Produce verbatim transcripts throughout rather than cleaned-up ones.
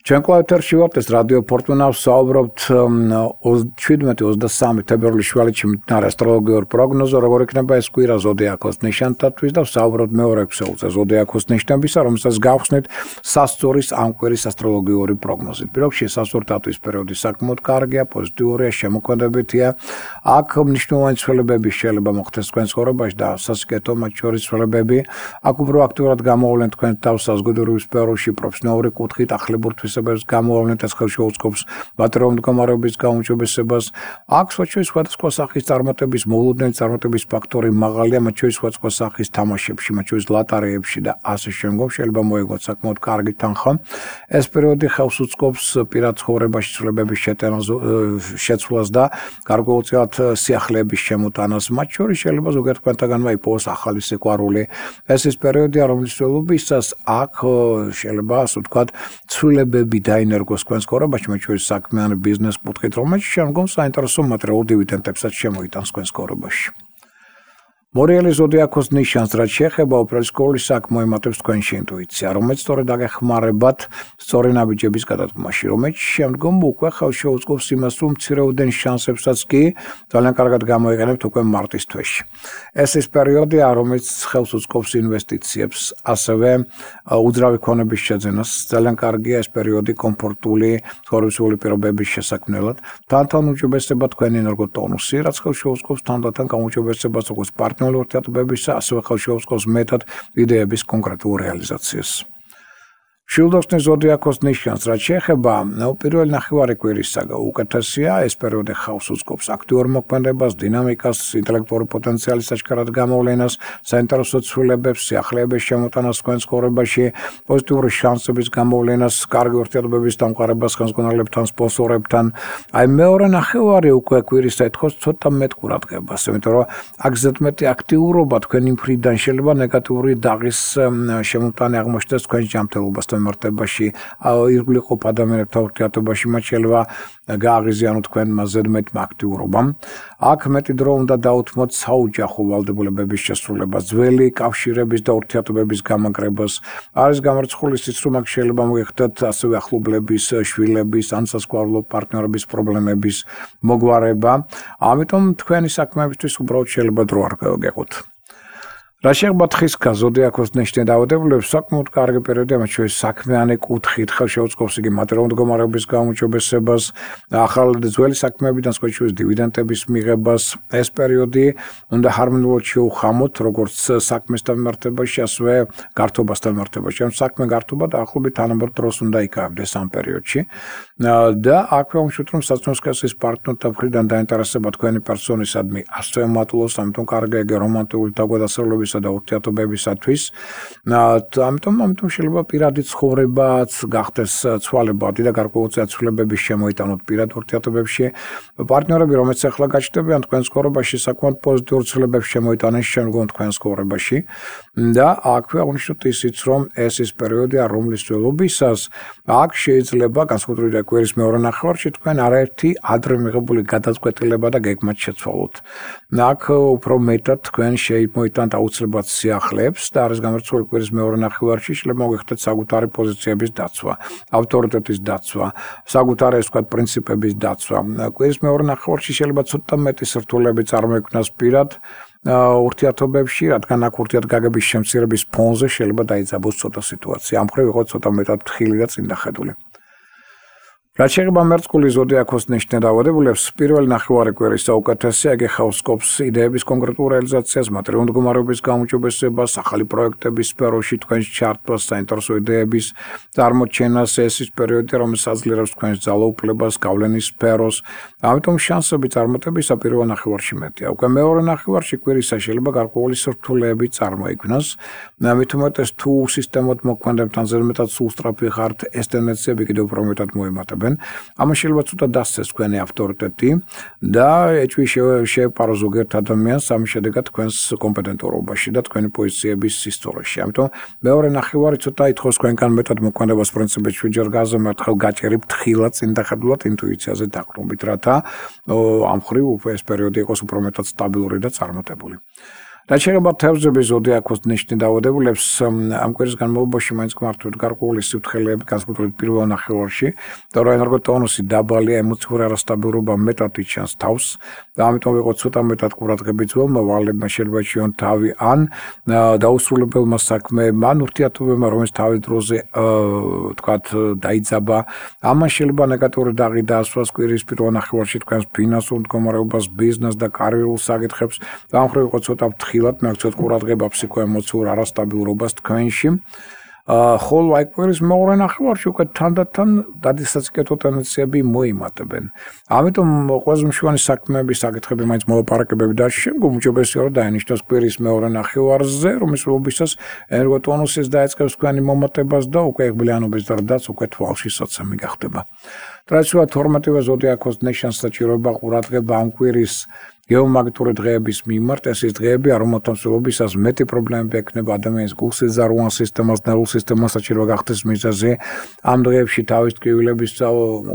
ჩვენ კვლავ ეთერში ვართ, ეს რადიო ფორტუნა, ვსაუბრობთ ოცდაშვიდმეტი ოცდასამი თებერვლის შუალედში მიმდინარე ასტროლოგიურ პროგნოზზე, როგორ იქნება ეს კვირა ზოდიაქოს ნიშანთათვის და ვსაუბრობთ მეორე ექვსეულზე ზოდიაქოს ნიშნებისა, რომელსაც გავხსნით სასწორის ამ კვირის ასტროლოგიური პროგნოზით. პირველ რიგში სასწორთათვის პერიოდი საკმაოდ კარგია, პოზიტიურია, შემოქმედებითია. აქ მნიშვნელოვანი ცვლილებები შეიძლება მოხდეს თქვენ ცხოვრებაში და სასიკეთო მათ შორის ცვლილებები. აქ უფრო აქტიურად გამოავლენ თქვენ თავს საზოგადოებრივ სფეროში, პროფესიონალური კუთხით, ახლებურ თვისებებს გამოავლენთ, ეს ხელს შეუწყობს მატერიალურ მდგომარეობის გაუმჯობესებას. აქ სხვა სხვადასხვა სახის წარმატების, მოულოდნელი წარმატების ფაქტორი მაღალია, მათ შორის სხვადასხვა სახის თამაშებში, მათ შორის ლატარეებში და ასე შემდგომ შეიძლება მოეგოთ საკმაოდ კარგი თანხა. ეს პერიოდი ხელს უწყობს პირად ცხოვრებაში ცვლილებების შეტანას, შეცვლას და გარკვეულწილად სიახლეების შემოტანას. მათ შორის შეიძლება ზოგიერთ თქვენთაგანმა იპოვოს ახალი სიყვარული. ეს ის პერიოდია, რომლის მსვლელობისას აქ შეიძლება, ასე ვთქვათ, ცვლილებები დაინერგოს თქვენ ცხოვრებაში, მათ შორის საქმიანი ბიზნეს კუთხით, რომელიც შემდგომ საინტერესო მატერიალურ დივიდენდებსაც შემოიტანს თქვენ ცხოვრებაში. მორიელი ზოდიაქოს ნიშანს რაც შეეხება, უპირველეს ყოვლისა აქ მოემატებს თქვენში ინტუიცია, რომელიც სწორედ აგეხმარებათ სწორი ნაბიჯების გადადგმაში, რომელიც შემდგომ უკვე ხელს შეუწყობს იმას, რომ მცირეოდენ შანსებსაც კი ძალიან კარგად გამოიყენებთ უკვე მარტის თვეში. ეს ის პერიოდია, რომელიც ხელს უწყობს ინვესტიციებს, ასევე უძრავი ქონების შეძენას. ძალიან კარგია ეს პერიოდი კომფორტული ცხოვრებისეული პირობების შესაქმნელად. თანდათან უჯობესდება თქვენი ენერგოტონუსი, რაც ხელს შეუწყობს თანდათან გაუმჯობესებას როგორც პარტნიორ ურთიერთობებისა, ასევე ხელს შეუწყობს მეტად იდეების კონკრეტულ რეალიზაციას. შვილდოხსნის ზოდიაქოს ნიშანს რაც შეეხება, პირველი ნახევარი კვირისა უკეთესია, ეს პერიოდი ხელს უწყობს აქტიურ მოქმედებას, დინამიკას, ინტელექტუალური პოტენციალის აშკარად გამოვლენას, საინტერესო ცვლილებებს, სიახლეების შემოტანას თქვენ ცხოვრებაში, პოზიტიური შანსების გამოვლენას, კარგი ურთიერთობების დამყარებას ხელმძღვანელებთან, სპონსორებთან. აი მეორე ნახევარი უკვე კვირისა ეთქოს ცოტა მეტ ყურადღებას, იმიტომ რომ აქ ზედმეტი აქტიურობა თქვენი მხრიდან შეიძლება ნეგატიური დაღის შემოტანი აღმოჩნდეს თქვენ ჯანმრთელობასთან მიმართებაში, ირგვლივ ყოფ ადამიანებთან ურთიერთობაში, მათ შეიძლება გააღიზიანოთ თქვენმა ზედმეტმა აქტიურობამ. აქ მეტი დრო უნდა დაუთმოთ საოჯახო ვალდებულებების შესრულებას, ძველი კავშირების და ურთიერთობების გამაგრებას. არის გამარცხული ისიც, რომ აქ შეიძლება მოიხდეთ ასევე ახლობლების, შვილების ან სასკვალო პარტნიორების პრობლემების მოგვარება. ამიტომ თქვენი საქმეებისთვის უბრალოდ შეიძლება დრო არ გეყოთ. რა შეეხება თხისქა ზოდიაქოს ნიშნი დაავადებულებს, საკმაოდ კარგი პერიოდია, მათ შორის საქმიანი კუთხით ხელს შეუწყობს იგი მატერიალურ მდგომარეობის გაუმჯობესებას, ახალ ძველი საქმეებიდან სხვა შორის დივიდენდების მიღებას. ეს პერიოდი უნდა ჰარმონიულად შეუხამოთ, როგორც საქმესთან მიმართებაში, ასევე გართობასთან მიმართებაში. ანუ საქმე გართობა დაახლოებით თანაბარ დროს უნდა იკავებდეს ამ პერიოდში. და აქვე ვამშვით, რომ საცნოს კესის პარტნიორთა მხრიდან დაინტერესება თქვენი პერსონისადმი ასევე მატულობს, ამიტომ კარგია იგი რომანტიკული თავგადასავლების და ურთიერთობებისათვის. ამიტომ ამიტომ შეიძლება პირადი ცხოვრებაც გახდეს ცვალებადი და გარკვეულწილად ცვლილებები შემოიტანოთ პირად ურთიერთობებში. პარტნიორები, რომელიც ახლა გაჩნდებიან თქვენ ცხოვრებაში, საკმაოდ პოზიტიურ ცვლილებებს შემოიტანენ შემდგომ თქვენ ცხოვრებაში. და აქვე აღნიშნოთ ისიც, რომ ეს ის პერიოდია, რომლის მსვლელობისას აქ შეიძლება განსაკუთრებით კვირის მეორე ნახევარში თქვენ არაერთი ადრე მიღებული გადაწყვეტილება და გეგმაც შეცვალოთ. აქ უფრო მეტად თქვენ შემოიტანთ აუცილებლად სიახლეებს და არის გამარცხული კვირის მეორე ნახევარში შეიძლება მოგეხდეთ საკუთარი პოზიციების დაცვა, ავტორიტეტის დაცვა, საკუთარი ეს ვთქვათ პრინციპების დაცვა. კვირის მეორე ნახევარში შეიძლება ცოტა მეტი სირთულეები წარმოიქმნას პირად ურთიერთობებში, რადგან აქ ურთიერთგაგების შემცირების ფონზე შეიძლება დაიძაბოს ცოტა სიტუაცია. ამ მხრივ იყოს ცოტა მეტად ფრთხილი და წინდახედული. რაც შეეხება მერწყული ზოდიაქოს ნიშნი დაავადებულებს, პირველი ნახევარი კვირისა უკეთესია, იგი ხელს უწყობს იდეების კონკრეტულ რეალიზაციას, მატერიალურ მდგომარეობის გაუმჯობესებას, ახალი პროექტების სფეროში თქვენს ჩართვას, საინტერესო იდეების წარმოჩენას. ეს ის პერიოდია, რომელიც აძლიერებს თქვენს ძალაუფლებას, გავლენის სფეროს. ამიტომ შანსები წარმატებისა პირველ ნახევარში მეტია. უკვე მეორე ნახევარში კვირისა შეიძლება გარკვეული სირთულეები წარმოიქმნას. მით უმეტეს თუ სისტემოდ მოქმედებთ ან ზედმეტად სულ სწრაფი ხართ, ეს ტენდენციები კიდევ უფრო მეტად მოემატებენ. ამან შეიძლება ცოტა დასცეს თქვენი ავტორიტეტი და ეჭვი შეეპარო ზოგიერთ ადამიანს ამის შედეგად თქვენს კომპეტენტურობაში და თქვენი პოზიციების სისწორეში. ამიტომ მეორე ნახევარი ცოტა ითხოვს თქვენგან მეტად მოქმედებას პრინციპებში ჯერ გაზომ ერთხელ გაჭერი ფრთხილად წინდახედულად ინტუიციაზე დაყრდნობით, რათა ამ მხრივ ეს პერიოდი იყოს უფრო მეტად სტაბილური და წარმატებული. რაც შეეხება თევზების ზოდიაქოს ნიშნით დაავადებულებს, ამ კვირის განმავლობაში მაინც გმართვით გარკვეული სიფრთხილეები, განსაკუთრებით პირველ ნახევარში, იმიტომ რომ ენერგოტონუსი დაბალია, ემოციური არასტაბილურობა მეტად იჩანს თავს და ამიტომ ვიყოთ ცოტა მეტად ყურადღები ძველმა ვალებმა, შეიძლება ეჩვიონ თავი ან დაუსრულებელმა საქმეებმა, ან ურთიერთობებმა, რომელიც თავის დროზე, ვთქვათ, დაიძაბა. ამან შეიძლება ნეგატიური დაღი დაასვას კვირის პირველ ნახევარში თქვენს ფინანსურ მდგომარეობას, ბიზნესს და კარიერულ საკითხებს. და ამ მხრივ ვიყოთ ცოტა ფრთხილად, მეაქციოთ ყურადღება ფსიქოემოციურ არასტაბილურობას თქვენში. ხოლო აი კვირის მეორე ნახევარში უკვე თანდათან დადისაციკეთო ტენდენციები მოიმატებენ. ამიტომ ყველაზე მნიშვნელოვანი საქმეები, საკითხები მაინც მოლაპარაკებები და შემდგომ უჯობესია რომ დაინიშნოს კვირის მეორე ნახევარზე, რომ მსვლელობისას ენერგოტონუსის დაიწყებს თქვენი მომატებას და უკვე იღბლიანობის ზრდაც უკვე თვალში საცემი გახდება. ტრადიციულად თორმეტივე ზოდიაქოს ნიშანს საჭიროება ყურადღება ამ კვირის გეომაგნიტური დღეების მიმართ. ეს ის დღეებია, რომელთა მსვლელობისას მეტი პრობლემები ექნება ადამიანის გულსიძარღვან სისტემას, ნერვულ სისტემას საჭირო გახდეს მიზეზი. ამ დღეებში თავის ტკივილების,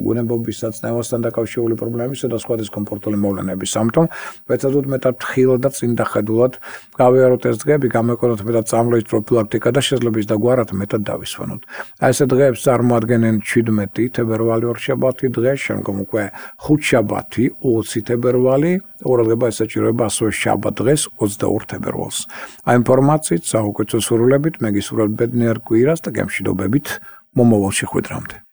გუნებობის საწნევასთან დაკავშირებული პრობლემებისა და სხვა დისკომფორტული მოვლენების. ამიტომ ვეცადოთ მეტად ფრთხილად და წინდახედულად გავიაროთ ეს დღეები, გამეყენოთ მეტად წამლების პროფილაქტიკა და შეიძლება ის დაგვარად მეტად დავისვენოთ. აი ესე დღეებს წარმოადგენენ ჩვიდმეტი თებერვალი ორშაბათი დღე, შემდგომ უკვე ხუთშაბათი ოცი თებერვალი, ყურადღება ესაჭიროება ასევე შაბათ დღეს ოცდაორ თებერვალს. ამ ინფორმაციით საუკეთესო სურვილებით მე გისურვებთ ბედნიერ კვირას და გემშვიდობებით მომავალ შეხვედრამდე.